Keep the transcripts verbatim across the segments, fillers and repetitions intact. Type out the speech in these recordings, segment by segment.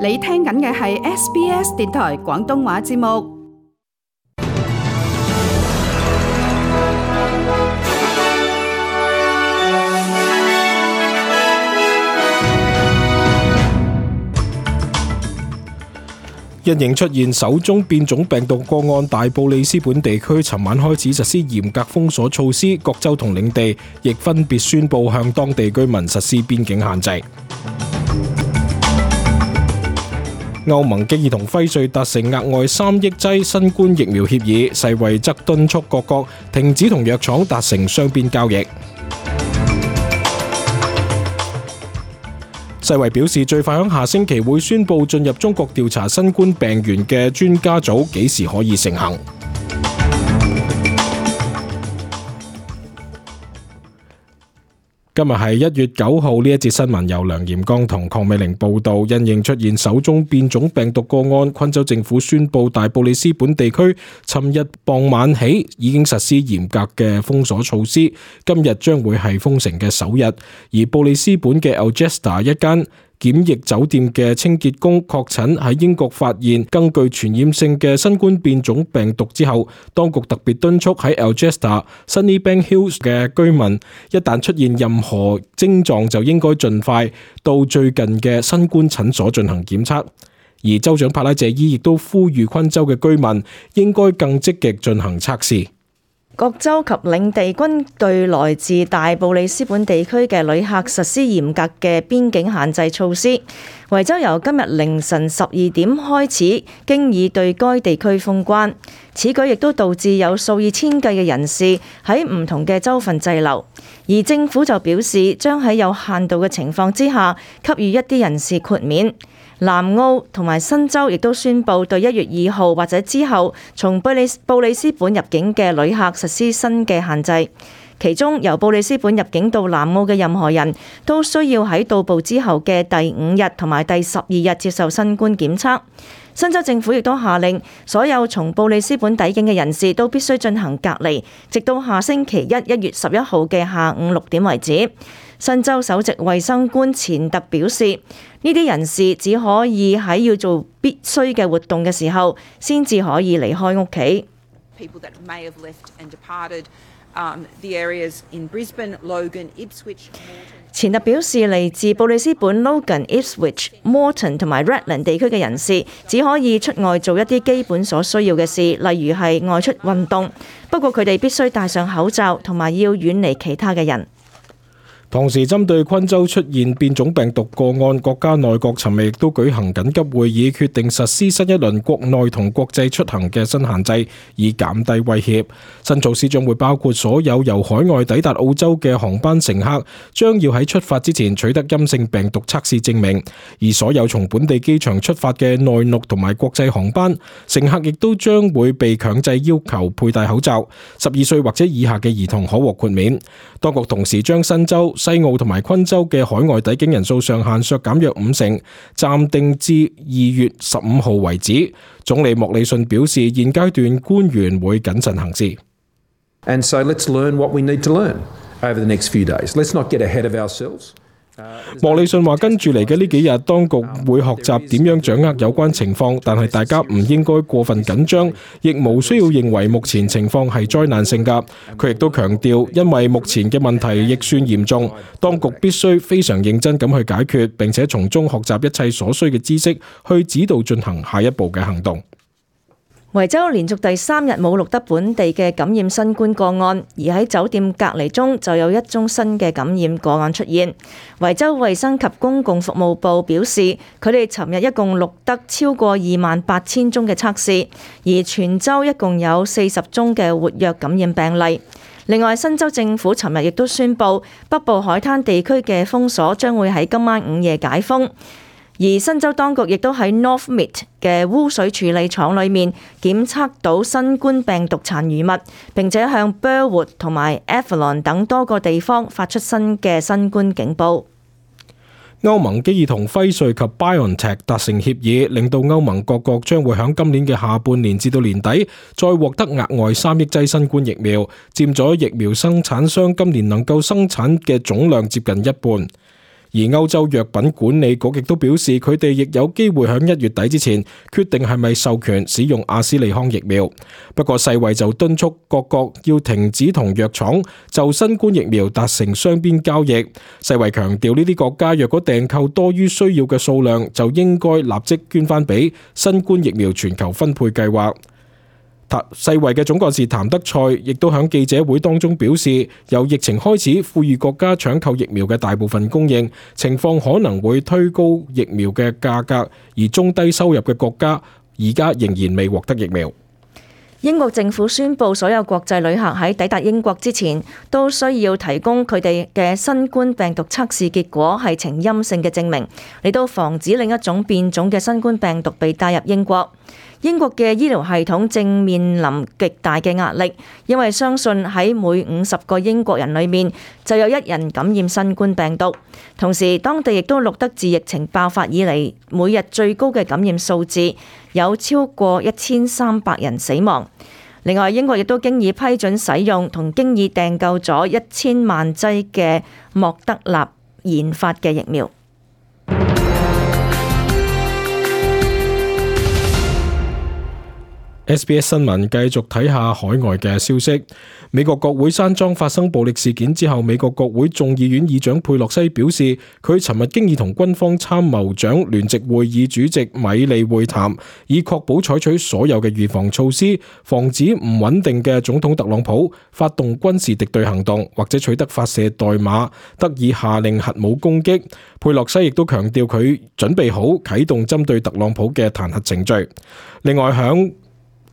你聽緊嘅係 S B S 電台廣東話節目。因應出現首宗變種病毒個案，大布里斯本地區尋晚開始實施嚴格封鎖措施，各州同領地亦分別宣布向當地居民實施邊境限制。歐盟經已同輝瑞達成額外三億劑新冠疫苗協議，世衛則敦促各國停止同藥廠達成雙邊交易。世衛表示，最快喺下星期會宣布進入中國調查新冠病原嘅專家組幾時可以成行。今日係一月九號，呢一節新聞由梁炎剛同鄺美玲報道。因應出現首宗變種病毒個案，昆州政府宣布大布里斯本地區尋日傍晚起已經實施嚴格嘅封鎖措施，今日將會係封城嘅首日。而布里斯本嘅 Algesta 一間檢疫酒店嘅清潔工確診喺英國發現更具傳染性嘅新冠變種病毒之後，當局特別敦促喺 Algesta、Sunnybank Hills 嘅居民，一旦出現任何症狀就應該盡快到最近嘅新冠診所進行檢測。而州長帕拉謝伊亦都呼籲昆州嘅居民應該更積極進行測試。各州及領地均對來自大布里斯本地區嘅旅客實施嚴格嘅邊境限制措施。維州由今日凌晨十二點開始，經已對該地區封關。此舉亦都導致有數以千計嘅人士喺唔同嘅州份滯留。而政府就表示，將喺有限度嘅情況之下，給予一啲人士豁免。南澳同埋新州亦都宣布對一月二號或者之後從布里布里斯本入境嘅旅客實施新嘅限制，其中由布里斯本入境到南澳嘅任何人都需要喺到埗之後嘅第五日同埋第十二日接受新冠檢測。新州政府亦都下令所有從布里斯本抵境嘅人士都必須進行隔離，直到下星期一一月十一號嘅下午六點為止。新州首席衛生官錢特表示，呢啲人士只可以喺要做必須嘅活動嘅時候，先至可以離開屋企。錢特表示，嚟自布里斯本、Logan、Ipswich、Moreton 同埋 Redland 地區嘅人士，只可以出外做一啲基本所需要嘅事，例如係外出運動。不過佢哋必須戴上口罩，同埋要遠離其他嘅人。同時，針對昆州出現變種病毒個案，國家內閣尋日亦都舉行緊急會議，決定實施新一輪國內同國際出行嘅新限制，以減低威脅。新措施將會包括所有由海外抵達澳洲嘅航班乘客，將要喺出發之前取得陰性病毒測試證明；而所有從本地機場出發嘅內陸同埋國際航班，乘客亦都將會被強制要求佩戴口罩。十二歲或者以下嘅兒童可獲豁免。當局同時將新州、西澳同埋昆州嘅海外抵境人數上限削減約五成，暫定至二月十五號為止。總理莫里遜表示，現階段官員會謹慎行事。And so let's learn what we need to learn over the next few days. Let's not get ahead of ourselves. 莫里遜話：跟住嚟嘅呢幾日，當局會學習點樣掌握有關情況，但係大家唔應該過分緊張，亦無需要認為目前情況係災難性㗎。佢亦都強調，因為目前嘅問題亦算嚴重，當局必須非常認真咁去解決，並且從中學習一切所需嘅知識，去指導進行下一步嘅行動。維州連續第三日冇錄得本地嘅感染新冠個案，而喺酒店隔離中就有一宗新嘅感染個案出現。維州衛生及公共服務部表示，佢哋尋日一共錄得超過二萬八千宗嘅測試，而全州一共有四十宗嘅活躍感染病例。另外，新州政府尋日亦都宣布，北部海灘地區嘅封鎖將會喺今晚午夜解封。而新州當局亦都喺 Northmead 嘅污水處理廠裏面檢測到新冠病毒殘餘物，並且向 Burwood 同埋 Avalon 等多個地方發出新嘅新冠警報。歐盟基爾同輝瑞及 BioNTech 達成協議，令到歐盟各國將會喺今年嘅下半年至到年底再獲得額外三億劑新冠疫苗，佔咗疫苗生產商今年能夠生產嘅總量接近一半。而歐洲藥品管理局亦都表示，佢哋亦有機會喺一月底之前決定係咪授權使用阿斯利康疫苗。不過世衛就敦促各國要停止同藥廠就新冠疫苗達成雙邊交易。世衛強調呢啲國家若果訂購多於需要嘅數量，就應該立即捐翻俾新冠疫苗全球分配計劃。世衛嘅總幹事譚德塞亦都喺記者會當中表示，由疫情開始，富裕國家搶購疫苗嘅大部分供應情況可能會推高疫苗嘅價格，而中低收入嘅國家而家仍然未獲得疫苗。英國政府宣布，所有國際旅客喺抵達英國之前都需要提供佢哋嘅新冠病毒測試結果係呈陰性嘅證明，嚟到防止另一種變種嘅新冠病毒被帶入英國。英國嘅醫療系統正面臨極大嘅壓力，因為相信喺每五十個英國人裏面就有一人感染新冠病毒。同時，當地亦都錄得自疫情爆發以嚟每日最高嘅感染數字，有超過一千三百人死亡。另外，英國亦都經已批准使用同經已訂購咗一千萬劑嘅莫德納研發嘅疫苗。S B S 新聞繼續睇下海外嘅消息。美國國會山莊發生暴力事件之後，美國國會眾議院議長佩洛西表示，佢尋日經已同軍方參謀長聯席會議主席米利會談，以確保採取所有嘅預防措施，防止唔穩定嘅總統特朗普發動軍事敵對行動，或者取得發射代碼，得以下令核武攻擊。佩洛西亦都強調佢準備好啟動針對特朗普嘅彈劾程序。另外，響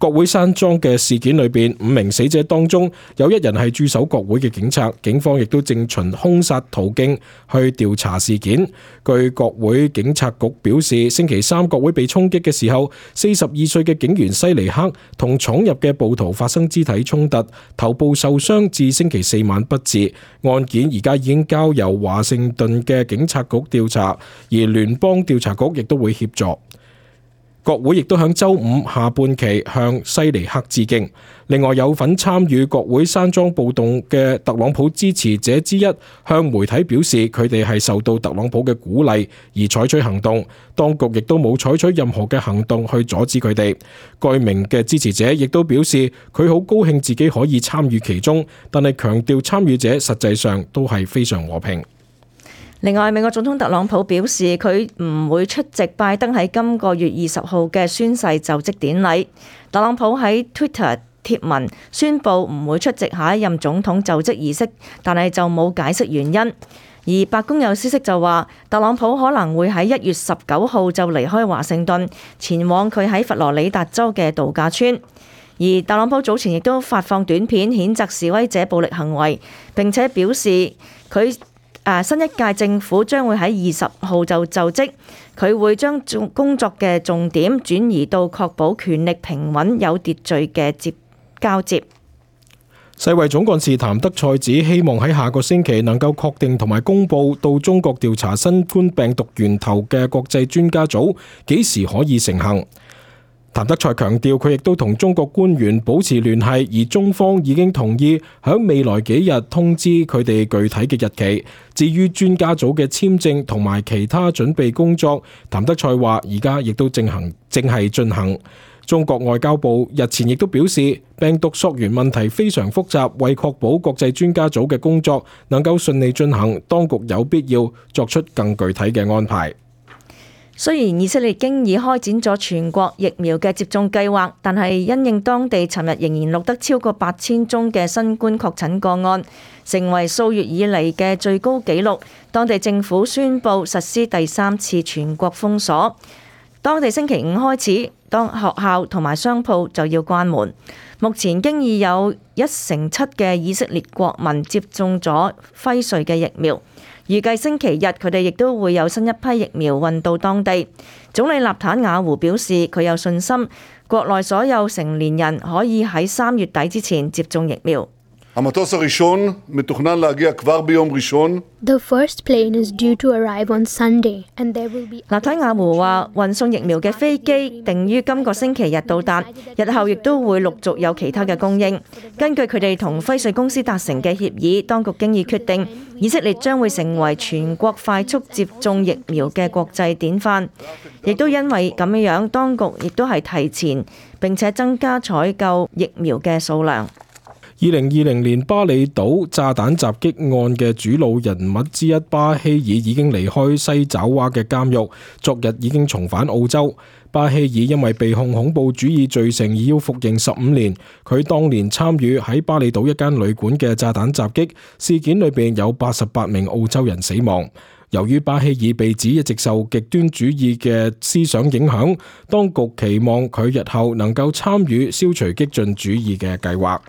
國會山莊嘅事件裏邊，五名死者當中有一人係駐守國會嘅警察，警方亦都正循兇殺途徑去調查事件。據國會警察局表示，星期三國會被衝擊嘅時候，四十二歲嘅警員西尼克同闖入嘅暴徒發生肢體衝突，頭部受傷，至星期四晚不治。案件而家已經交由華盛頓嘅警察局調查，而聯邦調查局亦都會協助。國會亦都響週五下半旗向西尼克致敬。另外，有份參與國會山莊暴動嘅特朗普支持者之一向媒體表示，佢哋係受到特朗普嘅鼓勵而採取行動，當局亦都冇採取任何嘅行動去阻止佢哋。該名嘅支持者亦都表示，佢好高興自己可以參與其中，但係強調參與者實際上都係非常和平。另外，美國總統特朗普表示佢唔會出席拜登喺今個月二十號嘅宣誓就職典禮。特朗普喺 Twitter 貼文宣布唔會出席下一任總統就職儀式，但係就冇解釋原因。而白宮有消息就話，特朗普可能會喺一月十九號就離開華盛頓，前往佢喺佛羅里達州嘅度假村。而特朗普早前亦都發放短片譴責示威者暴力行為，並且表示佢新一屆政府將會喺二十號就就職，佢會將工作嘅重點轉移到確保權力平穩有秩序嘅接交接。世衛總幹事譚德塞指，希望喺下個星期能夠確定同埋公佈到中國調查新冠病毒源頭嘅國際專家組幾時可以成行。譚德塞強調，佢亦都同中國官員保持聯繫，而中方已經同意喺未來幾日通知佢哋具體嘅日期。至於專家組嘅簽證同埋其他準備工作，譚德塞話而家亦都正行正係進行。中國外交部日前亦都表示，病毒溯源問題非常複雜，為確保國際專家組嘅工作能夠順利進行，當局有必要作出更具體嘅安排。雖然以色列經已開展咗全國疫苗嘅接種計劃，但係因應當地尋日仍然錄得超過八千宗嘅新冠確診個案，成為數月以嚟嘅最高紀錄。當地政府宣布實施第三次全國封鎖。當地星期五開始，當學校同埋商鋪就要關門。目前經已有一成七嘅以色列國民接種咗輝瑞嘅疫苗。預計星期日佢哋亦都會有新一批疫苗運到當地。總理納坦雅胡表示，佢有信心國內所有成年人可以喺三月底之前接種疫苗。המטוס הראשון מתוכנן להגיע כבר ביום ראשון. The first plane is due to arrive on Sunday, and there will be. 納坦雅胡話，運送疫苗嘅飛機定於今個星期日到達，日後亦都會陸續有其他嘅供應。根據佢哋同輝瑞公司達成嘅協議，當局經已決定，以色列將會成為全國快速接種疫苗嘅國際典範。亦都因為咁樣，當局亦都係提前並且增加採購疫苗嘅數量。二零二零年巴厘島炸彈襲擊案嘅主腦人物之一巴希爾已經離開西爪哇嘅監獄，昨日已經重返澳洲。巴希爾因為被控恐怖主義罪成而要服刑十五年。佢當年參與喺巴厘島一間旅館嘅炸彈襲擊事件裏邊有八十八名澳洲人死亡。由於巴希爾被指一直受極端主義嘅思想影響，當局期望佢日後能夠參與消除激進主義嘅計劃。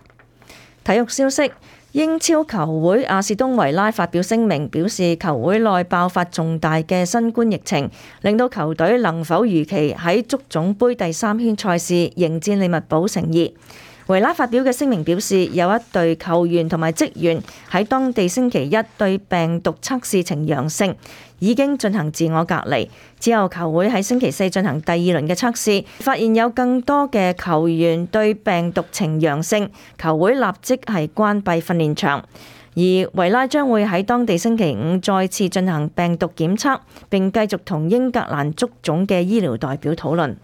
體育消息，英超球會阿士東維拉發表聲明，表示球會內爆發重大嘅新冠疫情，令到球隊能否如期喺足總杯第三圈賽事迎戰利物浦成疑。維拉發表嘅聲明表示，有一隊球員同埋職員喺當地星期一對病毒測試呈陽性，已經進行自我隔離。之後球會喺星期四進行第二輪嘅測試，發現有更多嘅球員對病毒呈陽性，球會立即係關閉訓練場。而維拉將會喺當地星期五再次進行病毒檢測，並繼續同英格蘭足總嘅醫療代表討論。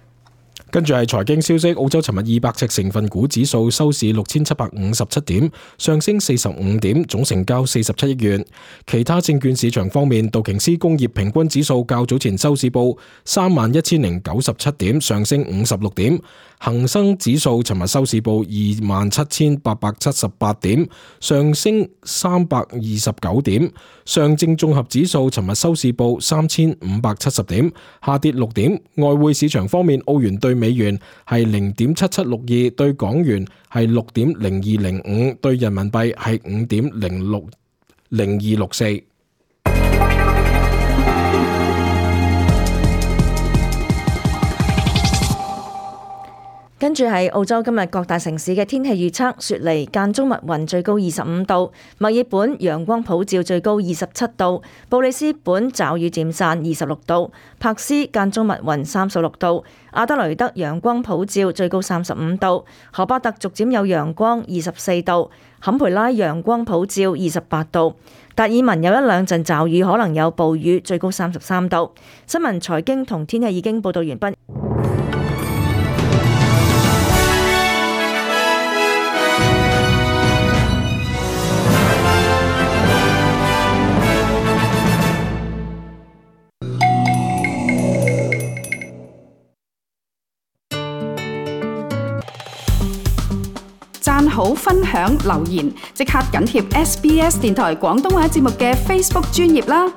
跟住係財經消息，澳洲尋日二百隻成分股指數收市六千七百五十七點，上升四十五點，總成交四十七億元。其他證券市場方面，道瓊斯工業平均指數較早前收市報三萬一千零九十七點，上升五十六點。恒生指數尋日收市報二萬七千八百七十八點，上升三百二十九點。上證綜合指數尋日收市報三千五百七十點，下跌六點。外匯市場方面，澳元對美元係零點七七六二，對港元係六點零二零五，對人民幣係五點零六零二六四。跟住係澳洲今日各大城市嘅天氣預測：雪梨間中密雲，最高二十五度；墨爾本陽光普照，最高二十七度；布里斯本驟雨漸散，二十六度；柏斯間中密雲，三十六度；阿德雷德陽光普照，最高三十五度；荷巴特逐漸有陽光，二十四度；坎培拉陽光普照，二十八度；達爾文有一兩陣驟雨，可能有暴雨，最高三十三度。新聞財經同天氣已經報道完畢。讚好、分享、留言，即刻緊貼 S B S 電台廣東話節目嘅 Facebook 專頁啦！